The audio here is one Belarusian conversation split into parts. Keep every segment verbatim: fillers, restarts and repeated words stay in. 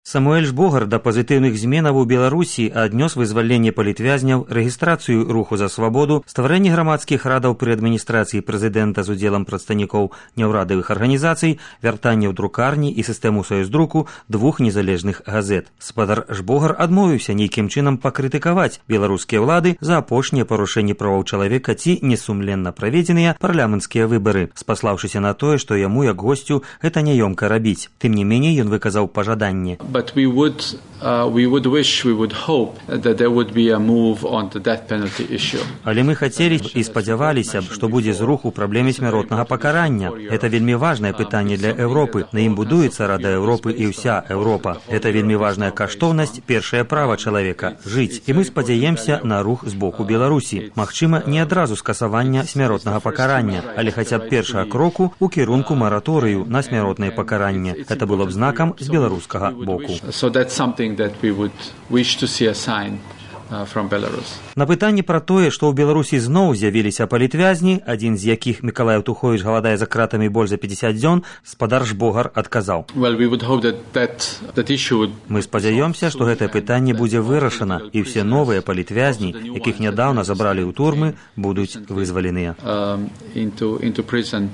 Самуэль Жбогар да пазітыўных зменаў у Беларусі аднёс вызваленне палітвязняў, рэгістрацыю руху за свабоду, стварэнне грамадскіх радаў пры адміністрацыі прэзідэнта з удзелам прадстаўнікоў няўрадавых арганізацый, вяртанне ў друкарні і сістэму саюздруку двух незалежных газет. Спадар Жбогар адмовіўся нейкім чынам пакрытыкаваць беларускія ўлады за апошнія парушэнні правоў чалавека ці несумленна праведзеныя парламенцкія выбары, спаслаўшыся на тое, што яму, як госцю, гэта няёмка рабіць. Тым не меней, ён выказаў пажаданне. But we would, uh, we would wish, we would hope that there would be a move on the death penalty issue. Але мы хацелі і спадзяваліся б, што будзе зрух у праблеме смяротнага пакарання. Это вельмі важнае пытанне для Еўропы. На ім будуецца Рада Еўропы і ўся Еўропа. Это вельмі важная каштоўнасць, першае права чалавека – жыць. І мы спадзяемся на рух з боку Беларусі. Магчыма, не адразу скасавання смяротнага пакарання, але хаця б першага кроку ў кірунку мараторыю на смяротнае пакаранне. Это было б знакам з беларускага боку. So that's something that we would wish to see a sign uh, from Belarus. На пытанне пра тое, што ў Беларусі зноў з'явіліся палітвязні, адзін з якіх Мікалай Туховіч галадае за кратамі больш за пяцьдзесят дзён, спадар Жбогар адказаў. Well, we would hope that that, that issue would... Мы спадзяёмся, што гэтае пытанне будзе вырашана, і ўсе новыя палітвязні, якіх нядаўна забралі ў турмы, будуць вызваленыя. Um, into, into prison.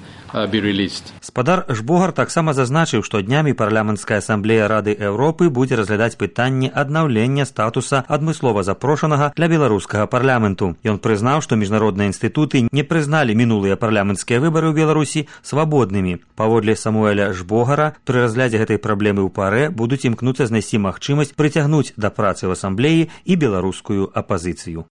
Спадар Жбогар таксама зазначыў, што днямі парламенцкая асамблея Рады Еўропы будзе разглядаць пытанне аднаўлення статуса адмыслова запрошанага для беларускага парламенту. Ён прызнаў, што міжнародныя інстытуты не прызналі мінулыя парламенцкія выбары ў Беларусі свабоднымі. Паводле Самуэля Жбогара, пры разглядзе гэтай праблемы ў парэ будуць імкнуцца знайсці магчымасць прыцягнуць да працы ў асамблеі і беларускую апазіцыю.